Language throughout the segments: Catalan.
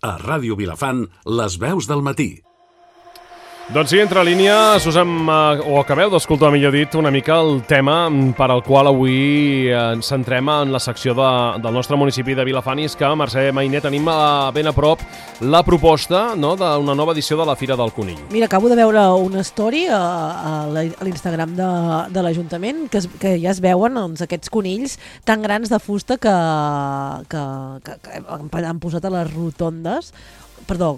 A Ràdio Vilafant, les veus del matí. Doncs sí, entre línia, o acabeu d'escoltar, millor dit, una mica el tema per al qual avui ens centrem en la secció del nostre municipi de Vilafant, i és que, Mercè Mainer, tenim ben a prop la proposta, no?, d'una nova edició de la Fira del Conill. Mira, acabo de veure una story a l'Instagram de l'Ajuntament que ja es veuen aquests conills tan grans de fusta que han posat a les rotondes,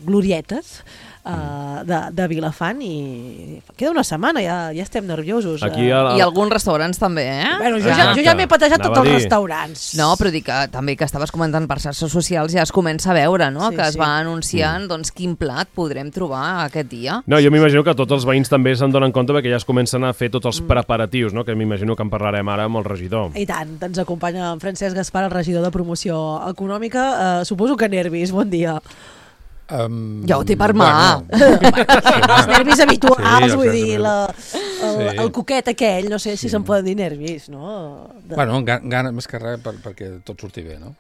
glorietes, de Vilafant, i queda una setmana, ja estem nerviosos. I alguns restaurants també, eh? Bueno, jo ja m'he patejat tots els restaurants. No, però dic que també que estaves comentant per xarxes socials ja es comença a veure, no? Que es va anunciant doncs quin plat podrem trobar aquest dia. No, jo m'imagino que tots els veïns també se'n donen compte perquè ja es comencen a fer tots els preparatius, no? Que m'imagino que en parlarem ara amb el regidor. I tant, ens acompanya en Francesc Gaspar, el regidor de Promoció Econòmica. Suposo que nervis, bon dia. Ja ho té per mà. Els nervis habituals, vull dir, el coquet aquell, no sé si se'n poden dir nervis, no? Bueno, gana més que res perquè tot surti bé, no?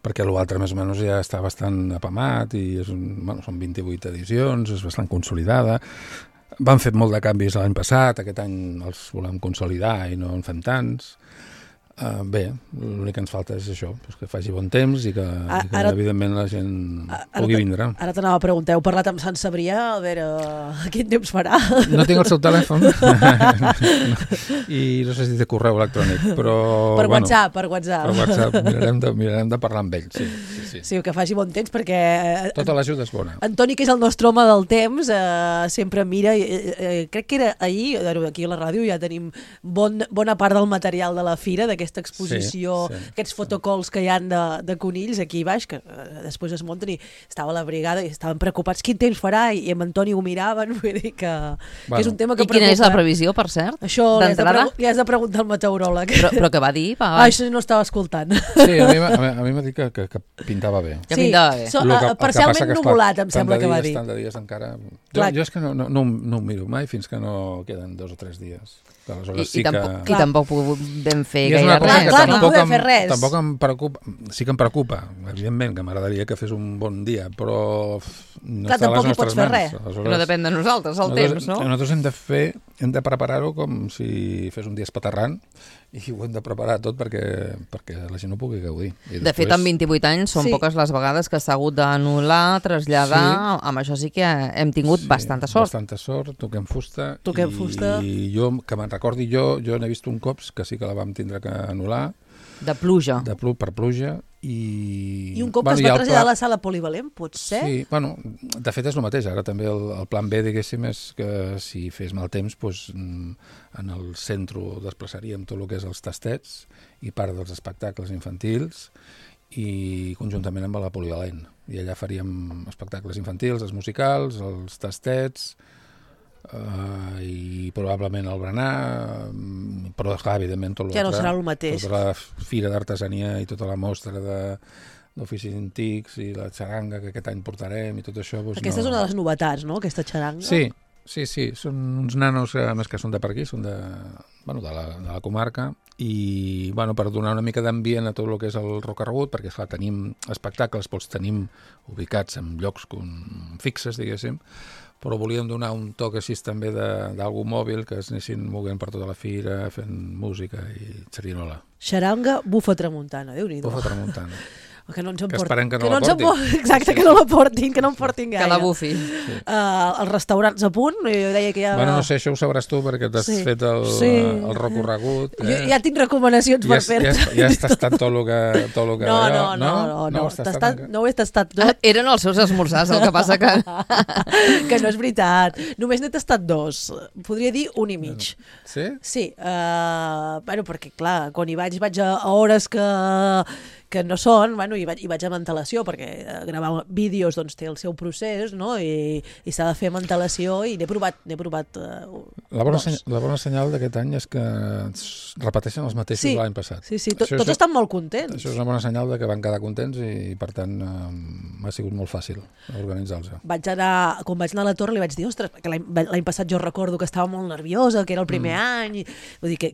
Perquè l'altre més o menys ja està bastant apamat i són 28 edicions, és bastant consolidada. Van fer molt de canvis l'any passat, aquest any els volem consolidar i no en fem tants. Bé, l'únic que ens falta és això, que faci bon temps i que evidentment la gent pugui vindre. Ara t'anava a preguntar, heu parlat amb Sant Cebrià, a veure quin temps farà? No tinc el seu telèfon i no sé si té correu electrònic, però... Per WhatsApp. Per WhatsApp, mirarem de parlar amb ell, sí. Sí, que faci bon temps, perquè... Tota l'ajuda és bona. Antoni, que és el nostre home del temps, sempre mira, crec que era ahir, aquí a la ràdio ja tenim bona part del material de la fira, d'aquesta exposició, aquests fotocalls que hi han de conills aquí baix, que després es munten, i estava la brigada i estaven preocupats quin temps farà, i amb Antoni ho miraven, vull dir que és un tema que preocupa. I quina és la previsió, per cert? Això li has de preguntar al meteoròleg. Però què va dir? Això no estava escoltant. Sí, a mi m'ha dit que pintava bé. Que pintava bé. Parcialment nuvolat, em sembla que va dir. Tant de dies encara... Jo és que no ho miro mai fins que no queden 2 o 3 dies. I tampoc podem fer gaire res. Clar, no podem fer res. Tampoc em preocupa, sí que em preocupa, evidentment, que m'agradaria que fes un bon dia, però no està a les nostres mans. No depèn de nosaltres, el temps, no? Nosaltres hem de preparar-ho com si fes un dia espaterrant, i ho hem de preparar tot perquè la gent ho pugui gaudir. De fet, en 28 anys són poques les vegades que s'ha hagut d'anul·lar, traslladar, amb això sí que hem tingut bastanta sort. Bastanta sort, toquem fusta. I jo, que me'n recordi, jo n'he vist un cop que sí que la vam tindre que anul·lar. De pluja. Per pluja. I un cop que es va traslladar a la sala polivalent, potser? Sí, de fet és el mateix. Ara també el plan B, diguéssim, és que si fes mal temps, en el centre desplaçaríem tot el que és els tastets i part dels espectacles infantils, i conjuntament amb la polivalent. I allà faríem espectacles infantils, els musicals, els tastets, i probablement el berenar, però clar, evidentment tot ja no serà el mateix. Tota la fira d'artesania i tota la mostra d'oficis antics i la xaranga que aquest any portarem i tot això. Aquesta és una de les novetats, no?, aquesta xaranga. Sí, són uns nanos més que són de per aquí, són de la comarca, i per donar una mica d'ambient a tot el que és el recorregut, perquè esclar, tenim espectacles, els tenim ubicats en llocs fixes, diguéssim, però volíem donar un toc així també d'algú mòbil, que es anessin movent per tota la fira, fent música i xerinola. Xaranga, bufa tramuntana, Déu-n'hi-do. Bufa tramuntana. Que no ens en portin. Que esperem que no la portin. Exacte, que no la portin, que no en portin gaire. Que la bufi. Els restaurants a punt, jo deia que ja... No sé, això ho sabràs tu, perquè t'has fet el recorregut. Jo ja tinc recomanacions per fer-te. Ja has tastat tot el que... No ho he tastat. Eren els seus esmorzars, el que passa que... Que no és veritat. Només n'he tastat 2. Podria dir 1 i mig. Sí? Sí. Perquè, clar, quan hi vaig a hores que no són, i vaig amb antelació, perquè gravar vídeos té el seu procés, no? I s'ha de fer amb antelació, i n'he provat La bona senyal d'aquest any és que repeteixen els mateixos de l'any passat. Sí, tots estan molt contents. Això és una bona senyal que van quedar contents i, per tant, m'ha sigut molt fàcil organitzar-los. Quan vaig anar a la Torre li vaig dir, ostres, que l'any passat jo recordo que estava molt nerviosa, que era el primer any, vull dir que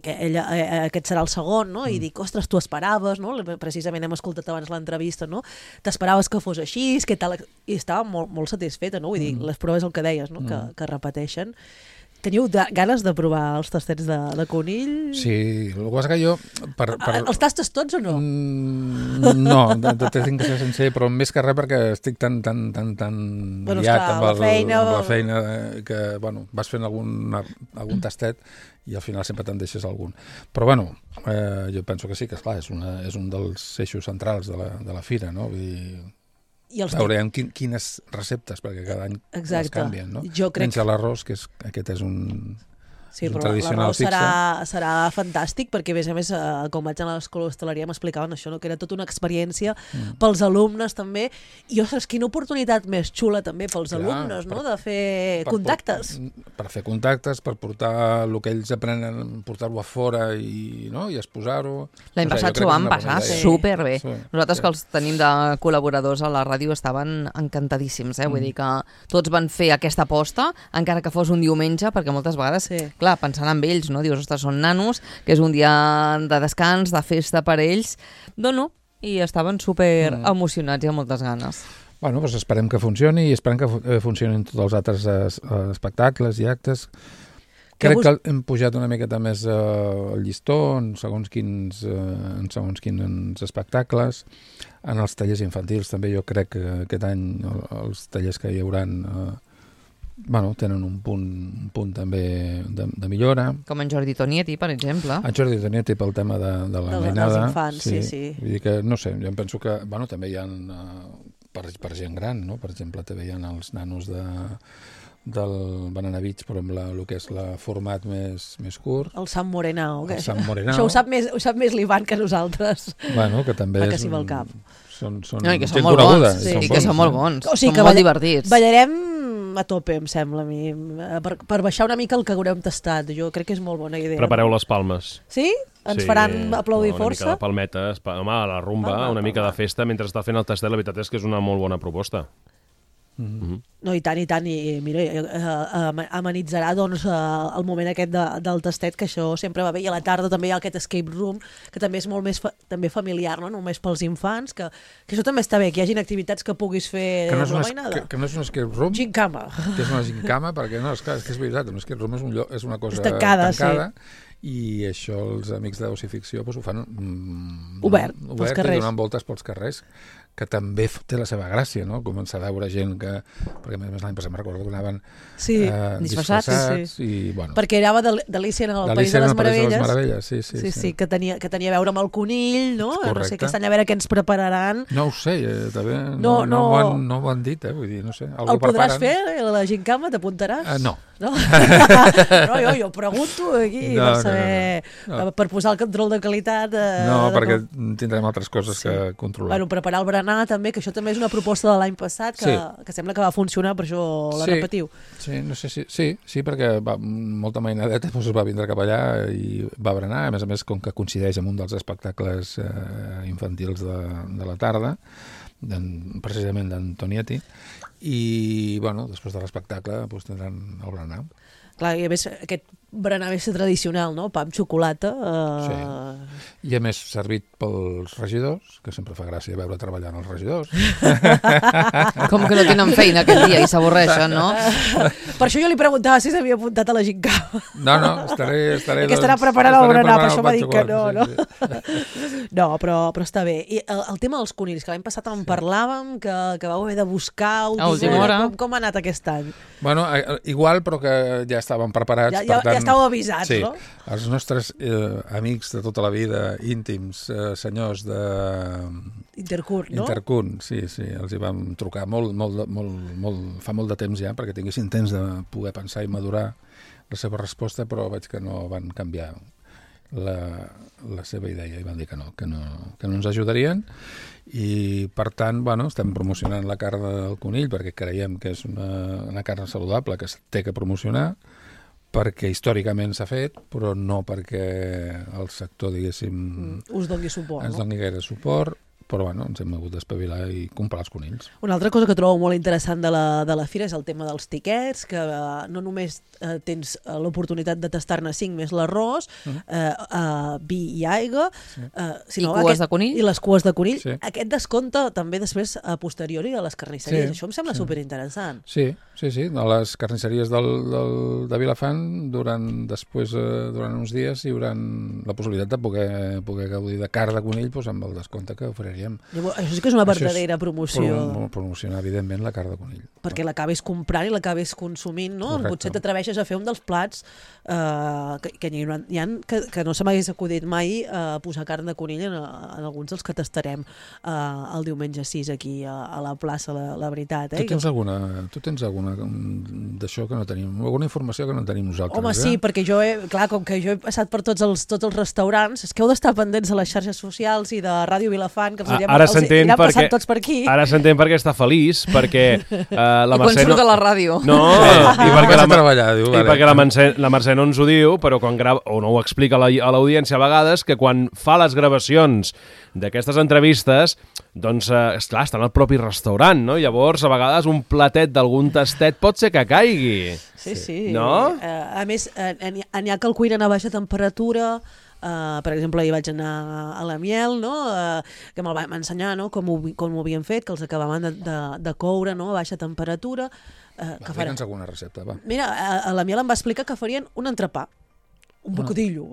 aquest serà el segon, no? I dic, ostres, tu esperaves, no? Precisament hem hem escoltat abans l'entrevista, no? T'esperaves que fos així, què tal? I estava molt satisfeta, no? Vull dir, les proves el que deies, no? Que repeteixen. Teniu ganes de provar els tastets de conill? Sí, el que passa que jo... Els tastes tots o no? No, tinc que ser sencer, però més que res perquè estic tan liat amb la feina que, bueno, vas fent algun tastet i al final sempre te'n deixes algun. Però, bueno, jo penso que sí, que esclar, és un dels eixos centrals de la fira, no? Vull dir... Veurem quines receptes, perquè cada any les canvien, no? Menys l'arròs, que aquest és un tradicional fixe. Serà fantàstic, perquè a més, com vaig a l'escola d'hostaleria m'explicaven això, no? Que era tota una experiència pels alumnes també, i ostres, quina oportunitat més xula també pels alumnes, no? De fer contactes. Per fer contactes, per portar el que ells aprenen, portar-ho a fora i exposar-ho. L'any passat s'ho van passar superbé. Nosaltres que els tenim de col·laboradors a la ràdio estaven encantadíssims, vull dir que tots van fer aquesta aposta, encara que fos un diumenge, perquè moltes vegades clar, pensant en ells, no? Dius, ostres, són nanos, que és un dia de descans, de festa per ells, i estaven super emocionats i amb moltes ganes. Bueno, doncs esperem que funcioni i esperem que funcionin tots els altres espectacles i actes. Crec que hem pujat una miqueta més el llistó en segons quins espectacles. En els tallers infantils també jo crec que aquest any els tallers que hi hauran tenen un punt també de millora. Com en Jordi Tonietti, per exemple. En Jordi Tonietti pel tema de la mainada. Dels infants, sí. Vull dir que, no sé, jo em penso que també hi ha per gent gran, no? Per exemple, també hi ha els nanos del Banana Beach, però amb el que és el format més curt. El Sant Morenao. Això ho sap més l'Ivan que nosaltres. Bueno, que també és... Que sí, cap. Són que són molt bons. I que són molt bons. Són molt divertits. Ballarem a tope, em sembla a mi, per baixar una mica el que haurem tastat. Jo crec que és molt bona idea. Prepareu les palmes. Sí? Ens faran aplaudir força? Una mica de palmetes, a la rumba, una mica de festa mentre està fent el tastet. La veritat és que és una molt bona proposta. No, i tant, i mira, amenitzarà el moment aquest del tastet, que això sempre va bé, i a la tarda també hi ha aquest escape room, que també és molt més també familiar, no? Només pels infants, que això també està bé, que hi hagin activitats que puguis fer que no és un escape room, gincama. Que és una gincama, perquè és que és veritat, un escape room és una cosa tancada. I això els amics d'Oci-Ficció ho fan obert pels carrers. I donant voltes pels carrers, que també té la seva gràcia, no? Començar a veure gent que... Perquè a més l'any passat me'n recordo que anaven disfressats. I, bueno, perquè anava d'Alícia en el País de les Meravelles. Sí, que tenia a veure amb el conill, no? Correcte. No sé, aquest any a veure què ens prepararan. No ho sé, també no ho han dit, vull dir, no sé. El podràs fer, la gincama, t'apuntaràs? No. No, jo pregunto aquí per saber, per posar el control de qualitat. Perquè tindrem altres coses que controlar. Bueno, preparar el berenar també, que això també és una proposta de l'any passat que sembla que va funcionar, per això la repetiu. Sí, no sé sí, perquè molta mainadeta es va vindre cap allà i va berenar, a més, com que coincideix amb un dels espectacles infantils de la tarda, precisament d'en Tonietti, i després de l'espectacle tindran el berenar. Clar, i a més aquest berenar més tradicional, no? Pa amb xocolata. Sí. I a més servit pels regidors, que sempre fa gràcia veure treballant els regidors. Com que no tenen feina aquest dia i s'avorreixen, no? Per això jo li preguntava si s'havia apuntat a la gincama. No, estaré... Que estarà preparant el berenar, per això m'ha dit que no. Sí. No, però està bé. I el tema dels conills, que l'any passat en parlàvem, que vau haver de buscar a última hora. Com ha anat aquest any? Bueno, igual, però que ja estàvem preparats. Ja estàveu avisats, sí, no? Els nostres amics de tota la vida, íntims, senyors de... Intercurn, no? Intercurn, sí, els hi vam trucar fa molt de temps ja, perquè tinguessin temps de poder pensar i madurar la seva resposta, però veig que no van canviar la seva idea i van dir que no ens ajudarien, i per tant, estem promocionant la carn del conill perquè creiem que és una carn saludable que es té que promocionar, perquè històricament s'ha fet, però no perquè el sector, diguéssim, us doni suport, ens doni gaire suport, però bueno, ens hem hagut d'espavilar i comprar els conills. Una altra cosa que trobo molt interessant de la fira és el tema dels tiquets, que no només tens l'oportunitat de tastar-ne 5 més l'arròs, vi i aigua, sinó I cues de conill. I les cues de conill. Sí. Aquest descompte també després a posteriori a les carnisseries. Sí, Això em sembla superinteressant. Sí. A les carnisseries de Vilafant, durant uns dies hi haurà la possibilitat de poder gaudir de carn de conill amb el descompte que oferiríem. Això sí que és una verdadera promoció. Promocionar, evidentment, la carn de conill. Perquè l'acabis comprant i l'acabis consumint, no? Correcte. Potser t'atreveixes a fer un dels plats que hi ha que no se m'hagués acudit mai posar carn de conill en alguns dels que tastarem el diumenge 6 aquí a la plaça, la veritat. Tu tens alguna d'això que no tenim? Alguna informació que no tenim nosaltres? Home, sí, perquè com que jo he passat per tots els restaurants, és que heu d'estar pendents de les xarxes socials i de Ràdio Vilafant, que els aniran passant tots per aquí. Ara s'entén perquè està feliç, perquè la Mercè... I quan surt a la ràdio. No, i perquè la Mercè no ens ho diu, però quan grava, o no ho explica a l'audiència a vegades, que quan fa les gravacions d'aquestes entrevistes, doncs, esclar, està en el propi restaurant, no? Llavors, a vegades, un platet d'algun tastet pot ser que caigui. Sí. No? A més, n'hi ha que el cuinen a baixa temperatura. Per exemple, hi vaig anar a la Miel, no? Que me'l vam ensenyar, no? com ho havien fet, que els acabaven de coure, no? A baixa temperatura. Digue'ns alguna recepta, va. Mira, a la Miel em va explicar que farien un entrepà. Un bocadillo.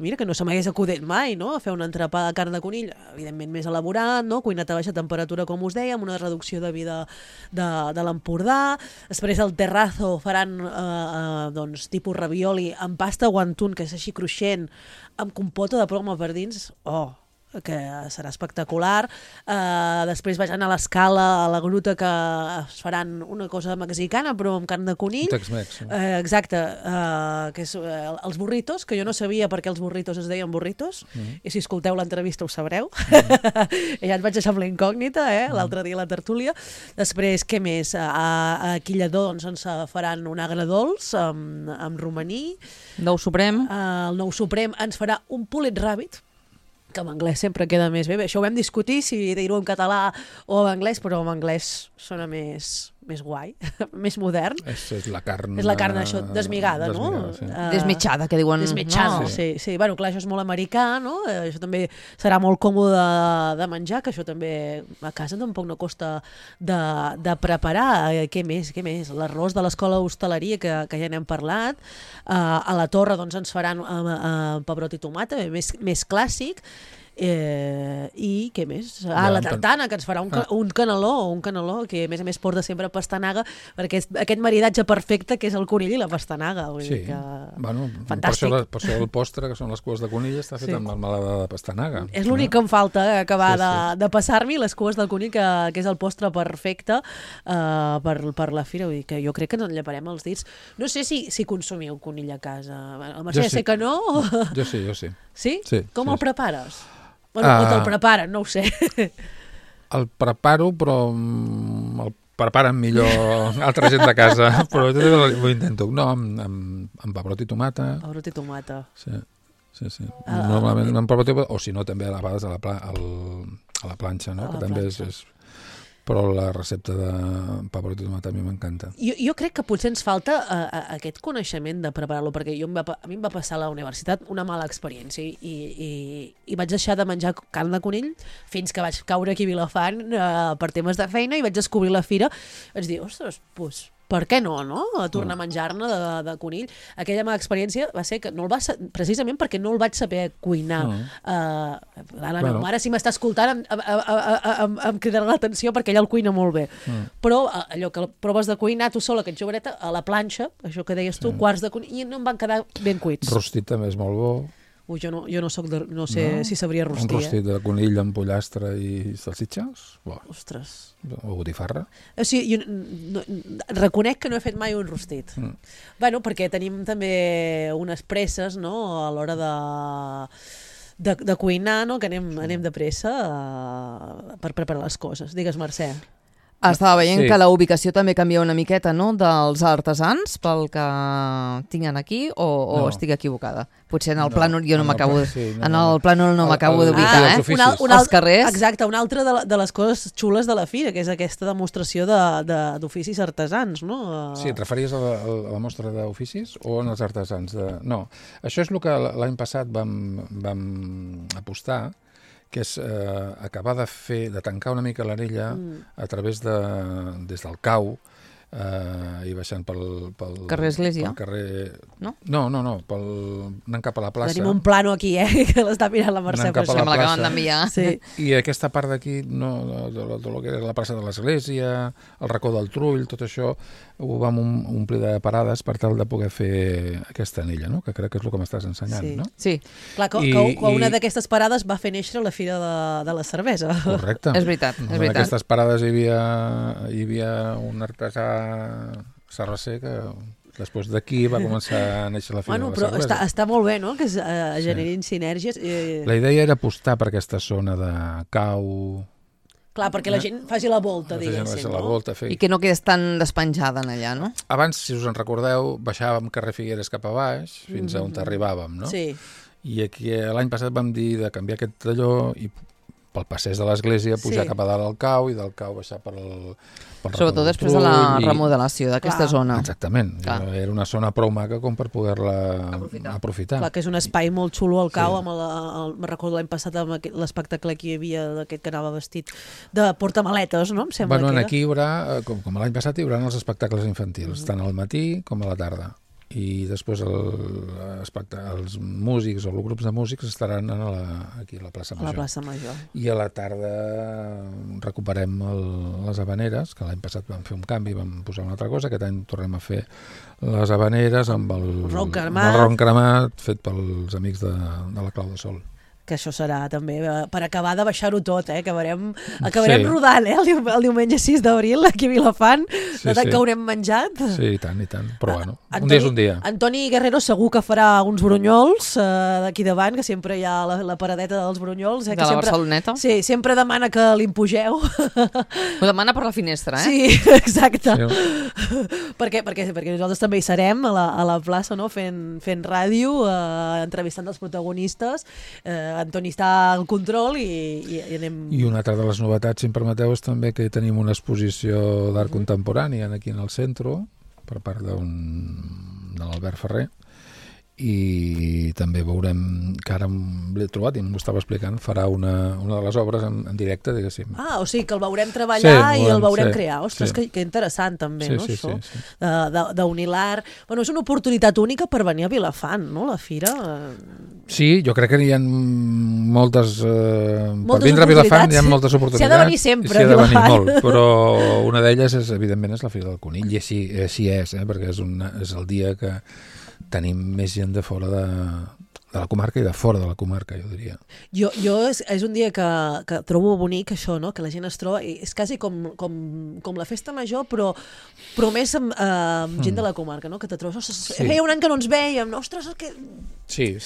Mira, que no se m'hagués acudit mai, no? A fer un entrepà de carn de conill, evidentment més elaborat, no? Cuinat a baixa temperatura, com us deia, amb una reducció de vida de l'Empordà. Després al terrazo faran doncs, tipus ravioli amb pasta guantun, que és així cruixent, amb compota de ploma per dins. Que serà espectacular. Després vaig anar a l'Escala, a la gruta, que es faran una cosa mexicana, però amb carn de conill. Tex-Mex. Exacte, que és els burritos, que jo no sabia per què els burritos es deien burritos, i si escolteu l'entrevista ho sabreu. Ja et vaig deixar amb la incògnita, l'altre dia a la tertúlia. Després, què més? A Quillador doncs, ens faran un agredolç amb romaní. Nou Suprem. El Nou Suprem ens farà un pulled rabbit, que en anglès sempre queda més bé. Això ho vam discutir, si dir-ho en català o en anglès, però en anglès sona més guai, més modern. És la carn... És la carn, això, desmigada, no? Sí. Desmitjada, que diuen. Desmitjada, no? sí. Bueno, clar, això és molt americà, no? Això també serà molt còmode de menjar, que això també a casa tampoc no costa de preparar. Què més? L'arròs de l'escola hostaleria, que ja n'hem parlat. A la Torre doncs, ens faran pebrot i tomata, més clàssic. I què més? La tartana, que ens farà un caneló, que a més porta sempre pastanaga, perquè és aquest maridatge perfecte que és el conill i la pastanaga. Sí, bueno, fantàstic. Per això el postre, que són les cues de conill, està fet amb melmelada de pastanaga. És l'únic que em falta, acabar de passar-m'hi, les cues del conill, que és el postre perfecte per la fira. Vull dir que jo crec que ens en lleparem els dits. No sé si consumiu conill a casa. El Mercè sé que no. Jo sí. Sí? Com el prepares? O te'l preparen, no ho sé. El preparo, però el preparen millor altra gent de casa, però jo ho intento. No, amb pebrot i tomata. Pebrot i tomata. Sí. Normalment amb pebrot i tomata, o si no també a vegades a la planxa, no? Que també és... Però la recepta de pebrot i tomata a mi m'encanta. Jo crec que potser ens falta aquest coneixement de preparar-lo, perquè a mi em va passar a la universitat una mala experiència i vaig deixar de menjar carn de conill fins que vaig caure aquí a Vilafant per temes de feina i vaig descobrir la fira. Vaig dir, ostres, doncs... Per què no? Tornar a menjar-ne de conill. Aquella mala experiència va ser que precisament perquè no el vaig saber cuinar. La meva mare, si m'està escoltant, em cridarà l'atenció perquè ella el cuina molt bé. Però allò que proves de cuinar tu sola, aquest joveneta, a la planxa, això que deies tu, quarts de conill, i no em van quedar ben cuits. Rostit també és molt bo. Jo no sé si sabria rostir. Un rostit de conill amb pollastre i salsitxes? Ostres. O botifarra? O sigui, jo reconec que no he fet mai un rostit. Bueno, perquè tenim també unes presses, no?, a l'hora de cuinar, no?, que anem de pressa per preparar les coses. Digues, Mercè. Estava veient que la ubicació també canvia una miqueta, no?, dels artesans, pel que tinguin aquí, o estic equivocada? Potser en el plànol jo no m'acabo d'ubicar, els carrers. Exacte, una altra de les coses xules de la fira, que és aquesta demostració d'oficis artesans, no? Sí, et referies a la mostra d'oficis o en els artesans? No, això és el que l'any passat vam apostar, que és acabar de tancar una mica l'anella a través des del cau i baixant pel carrer Església. No, anant cap a la plaça. Tenim un plano aquí, que l'està mirant la Mercè. Que me l'acaben d'enviar. Sí. I aquesta part d'aquí, de lo que era la plaça de l'Església, el racó del Trull, tot això ho vam omplir de parades per tal de poder fer aquesta anella, no? Que crec que és el que m'estàs ensenyant, no? Sí. Clar, que una d'aquestes parades va fer néixer la Fira de la Cervesa. Correcte. És veritat. En aquestes parades hi havia un artesà sarraser que després d'aquí va començar a néixer la Fira de la Cervesa. Però està molt bé, no?, que es generin sinergies. La idea era apostar per aquesta zona de cau... Clar, perquè la gent faci la volta, diguéssim, no? I que no quedés tan despenjada en allà, no? Abans, si us en recordeu, baixàvem carrer Figueres cap a baix, fins a on arribàvem, no? Sí. I aquí l'any passat vam dir de canviar aquest talló i pel passeig de l'església pujar cap a dalt al cau i del cau baixar pel sobretot després de la remodelació d'aquesta zona. Exactament. Era una zona prou maca com per poder-la aprofitar. Clar, que és un espai molt xulo al cau, me'n recordo l'any passat amb l'espectacle que hi havia d'aquest que anava vestit de portamaletes, no? Em sembla que era. Aquí hi haurà, com l'any passat, hi haurà els espectacles infantils, tant al matí com a la tarda. I després els músics o els grups de músics estaran aquí a la plaça Major. A la plaça Major. I a la tarda recuperem les havaneres, que l'any passat vam fer un canvi, vam posar una altra cosa, aquest any tornem a fer les havaneres amb el ron cremat fet pels amics de la Clau de Sol. Que això serà també per acabar de baixar-ho tot, que acabarem rodant el diumenge 6 d'abril aquí a Vilafant, de tant que haurem menjat. Sí, i tant, però bueno, un dia és un dia. Antoni Guerrero segur que farà uns brunyols d'aquí davant, que sempre hi ha la paradeta dels brunyols. De la Barceloneta? Sí, sempre demana que l'impugeu. Ho demana per la finestra, Sí, exacte. Perquè nosaltres també hi serem a la plaça, no? fent ràdio, entrevistant els protagonistes. Antoni està al control i anem... I una altra de les novetats, si em permeteu, és també que tenim una exposició d'art contemporani aquí en el centre, per part de l'Albert Ferrer, i també veurem que ara l'he trobat i m'ho estava explicant, farà una de les obres en directe, diguéssim. O sigui que el veurem treballar i el veurem crear. Ostres, que interessant també, no, això? D'unir l'art. Bueno, és una oportunitat única per venir a Vilafant, no, la fira? Sí, jo crec que hi ha moltes... Per vindre a Vilafant hi ha moltes oportunitats. S'hi ha de venir sempre a Vilafant. S'hi ha de venir molt, però una d'elles, evidentment, és la Fira del Conill, i així és, perquè és el dia que tenim més gent de fora de la comarca i de fora de la comarca, jo diria. Jo és un dia que trobo bonic això, no? Que la gent es troba, és quasi com la festa major, però més amb gent de la comarca, no? Que te trobes, feia un any que no ens vèiem, ostres, que... Sí.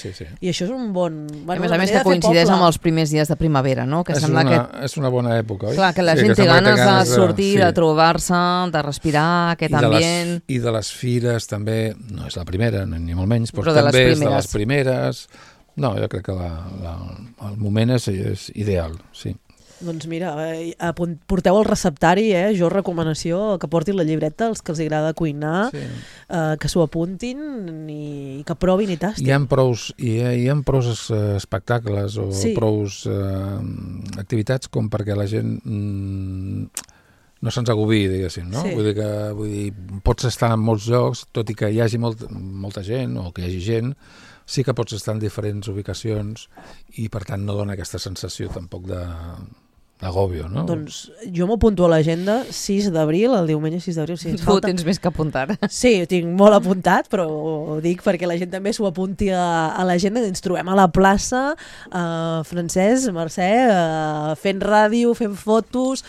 I això és un bon... A més que coincideix amb els primers dies de primavera, no? Que sembla que... És una bona època, oi? Clar, que la gent té ganes de sortir, de trobar-se, de respirar aquest ambient... I de les fires també, no és la primera, ni molt menys, però també és de les primeres. No, jo crec que el moment és ideal, sí. Doncs mira, porteu el receptari, jo recomanació que portin la llibreta, els que els agrada cuinar, que s'ho apuntin i que provin i tastin. Hi ha prous espectacles o prous activitats com perquè la gent no se'ns agobi, diguéssim, no? Vull dir, pots estar en molts llocs, tot i que hi hagi molta gent o que hi hagi gent, sí que pots estar en diferents ubicacions i per tant no dona aquesta sensació tampoc d'agòbio, no? Doncs jo m'apunto a l'agenda 6 d'abril, el diumenge 6 d'abril. Si tu tens més que apuntar. Sí, ho tinc molt apuntat, però ho dic perquè la gent també s'ho apunti a l'agenda. Ens trobem a la plaça, Francesc, Mercè, fent ràdio, fent fotos,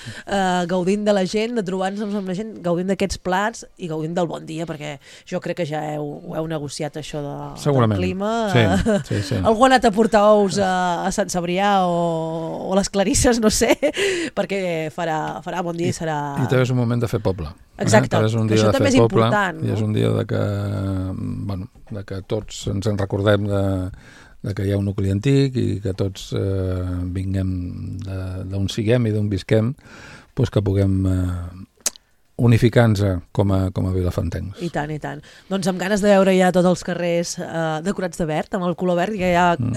gaudint de la gent, de trobar-nos amb la gent, gaudint d'aquests plats i gaudint del bon dia, perquè jo crec que ja ho heu negociat, això del clima. Sí. Algú ha anat a portar ous a Sant Cebrià o les Clarisses, no sé. perquè farà bon dia i serà... I també és un moment de fer poble. Exacte, això també és important. I és un dia de que tots ens en recordem de que hi ha un nucli antic i que tots vinguem d'on siguem i d'on visquem, que puguem unificant-se com a vilafantencs. I tant, i tant. Doncs amb ganes de veure ja tots els carrers decorats de verd, amb el color verd, que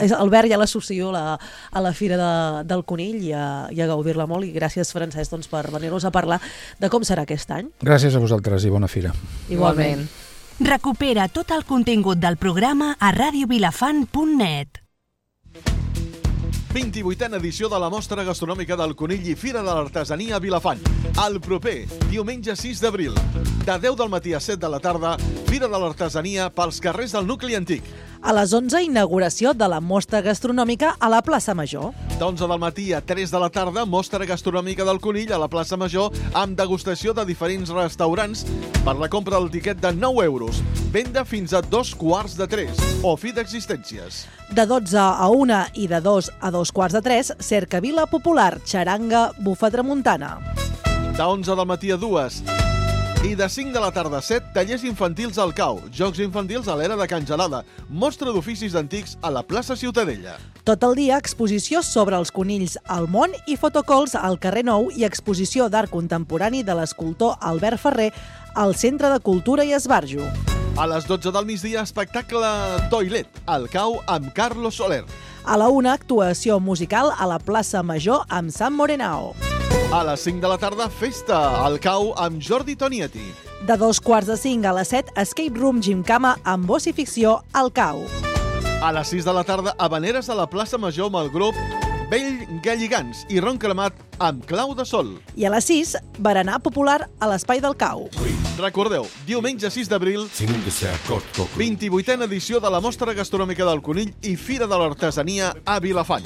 el verd ja l'associo a la Fira del Conill i a gaudir-la molt. I gràcies, Francesc, per venir-nos a parlar de com serà aquest any. Gràcies a vosaltres i bona fira. Igualment. Recupera tot el contingut del programa a radiovilafant.net. 28a edició de la Mostra Gastronòmica del Conill i Fira de l'Artesania a Vilafant. El proper, diumenge 6 d'abril, de 10 del matí a 7 de la tarda, Fira de l'Artesania pels carrers del nucli antic. A les 11, inauguració de la Mostra Gastronòmica a la plaça Major. D'11 del matí a 3 de la tarda, Mostra Gastronòmica del Conill a la plaça Major amb degustació de diferents restaurants per la compra del tiquet de 9 euros. Venda fins a 2:45 o fi d'existències. De 12 a 1 i de 2 a 2:45, cercavila popular, xaranga, bufa tramuntana. De 11 del matí a 2 i de 5 de la tarda a 7, tallers infantils al Cau, jocs infantils a l'era de Can Gelada, mostra d'oficis antics a la plaça Ciutadella. Tot el dia, exposició sobre els conills al món i fotocalls al carrer Nou i exposició d'art contemporani de l'escultor Albert Ferrer al Centre de Cultura i Esbarjo. A les 12 del migdia, espectacle Toilet, al Cau amb Carlos Soler. A la 1, actuació musical a la plaça Major amb Sam Morenao. A les 5 de la tarda, festa al Cau amb Jordi Tonietti. De 2:45 a les 7, Escape Room Gimcama amb Boss i Ficció al Cau. A les 6 de la tarda, Havaneres a la plaça Major amb el grup Vell Galligans i Ron Cremat amb Clau de Sol. I a les 6, berenar popular a l'Espai del Cau. Recordeu, diumenge 6 d'abril, 28a edició de la Mostra Gastronòmica del Conill i Fira de l'Artesania a Vilafant.